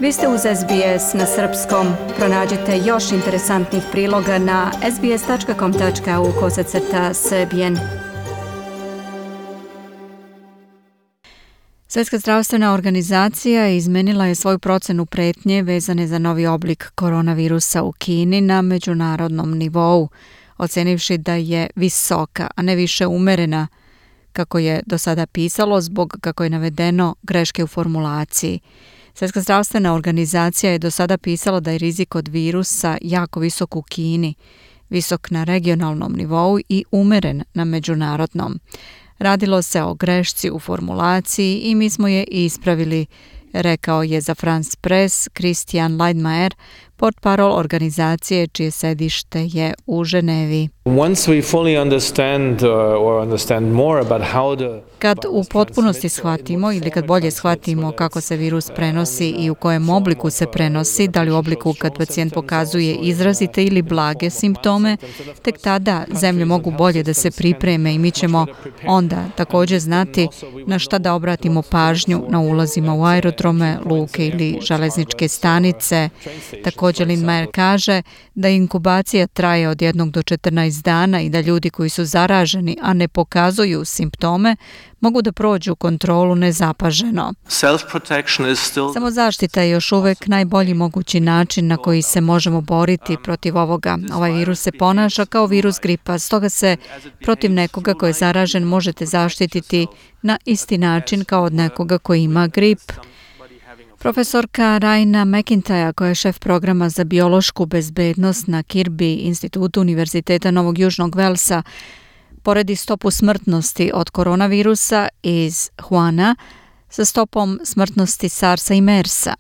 Vi ste uz SBS na srpskom. Pronađite još interesantnih priloga na sbs.com.au/srbijen. Svjetska zdravstvena organizacija izmenila je svoju procenu pretnje vezane za novi oblik koronavirusa u Kini na međunarodnom nivou, ocenivši da je visoka, a ne više umerena, kako je do sada pisalo zbog, kako je navedeno, greške u formulaciji. Svjetska zdravstvena organizacija je do sada pisala da je rizik od virusa jako visok u Kini, visok na regionalnom nivou i umeren na međunarodnom. Radilo se o grešci u formulaciji i mi smo je ispravili, rekao je za France Press Christian Lindmeier, portparol organizacije čije sedište je u Ženevi. Kad u potpunosti shvatimo ili kad bolje shvatimo kako se virus prenosi i u kojem obliku se prenosi, da li u obliku kad pacijent pokazuje izrazite ili blage simptome, tek tada zemlje mogu bolje da se pripreme i mi ćemo onda također znati na šta da obratimo pažnju na ulazima u aerodrome, luke ili železničke stanice. Također Lindmeier kaže da inkubacija traje od 1 do 14 dana i da ljudi koji su zaraženi, a ne pokazuju simptome, mogu da prođu kontrolu nezapaženo. Samozaštita je još uvek najbolji mogući način na koji se možemo boriti protiv ovoga. Ovaj virus se ponaša kao virus gripa, stoga se protiv nekoga ko je zaražen možete zaštititi na isti način kao od nekoga koji ima grip. Profesorka Raina McIntyre, koja je šef programa za biološku bezbednost na Kirby institutu Univerziteta Novog Južnog Velsa, poredi stopu smrtnosti od koronavirusa iz Wuhana sa stopom smrtnosti SARS-a i MERS-a.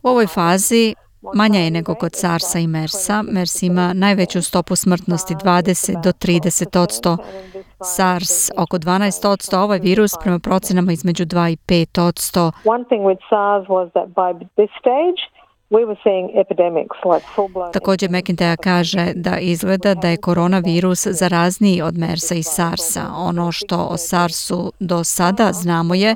U ovoj fazi manja je nego kod SARS-a i MERS-a. MERS ima najveću stopu smrtnosti 20 do 30%, SARS oko 12%, ovaj virus prema procenama između 2 i 5%. Također McIntyre kaže da izgleda da je koronavirus zarazniji od MERS-a i SARS-a. Ono što o SARS-u do sada znamo je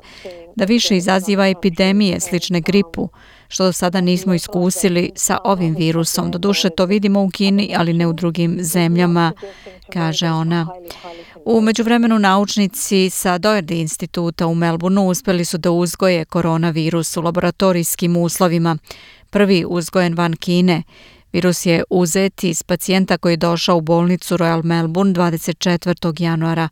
da više izaziva epidemije slične gripu, što do sada nismo iskusili sa ovim virusom. Doduše to vidimo u Kini, ali ne u drugim zemljama, kaže ona. U međuvremenu naučnici sa Doherty instituta u Melbourneu uspjeli su da uzgoje koronavirus u laboratorijskim uslovima. Prvi uzgojen van Kine. Virus je uzet iz pacijenta koji je došao u bolnicu Royal Melbourne 24. januara.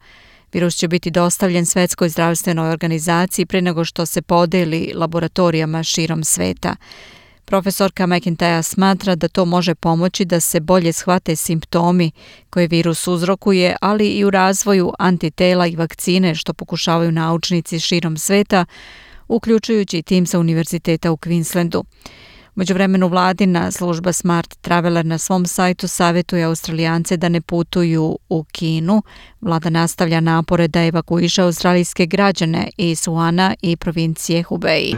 Virus će biti dostavljen Svjetskoj zdravstvenoj organizaciji prije nego što se podeli laboratorijama širom sveta. Profesorka McIntyre smatra da to može pomoći da se bolje shvate simptomi koje virus uzrokuje, ali i u razvoju antitela i vakcine što pokušavaju naučnici širom sveta, uključujući i tim sa Univerziteta u Queenslandu. U međuvremenu vladina služba Smart Traveler na svom sajtu savjetuje Australijance da ne putuju u Kinu. Vlada nastavlja napore da evakuiše australijske građane iz Wuhana i provincije Hubei.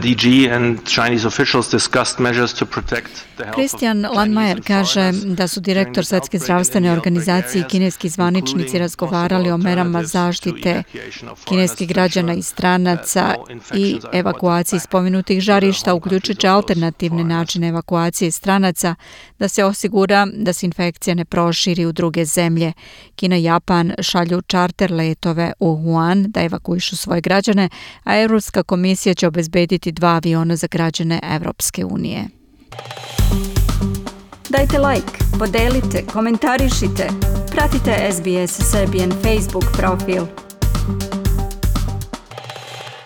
Christian Lindmeier kaže da su direktor Svjetske zdravstvene organizacije i kineski zvaničnici razgovarali o merama zaštite kineskih građana i stranaca i evakuaciji spomenutih žarišta, uključujući alternativne načine evakuacije stranaca, da se osigura da se infekcija ne proširi u druge zemlje. Kina i Japan šalju čarter letove u Wuhan da evakuišu svoje građane, a Europska komisija će obezbediti 2 aviona za građane Evropske unije. Dajte like, podelite, komentarišite, pratite SBS Serbian Facebook profil.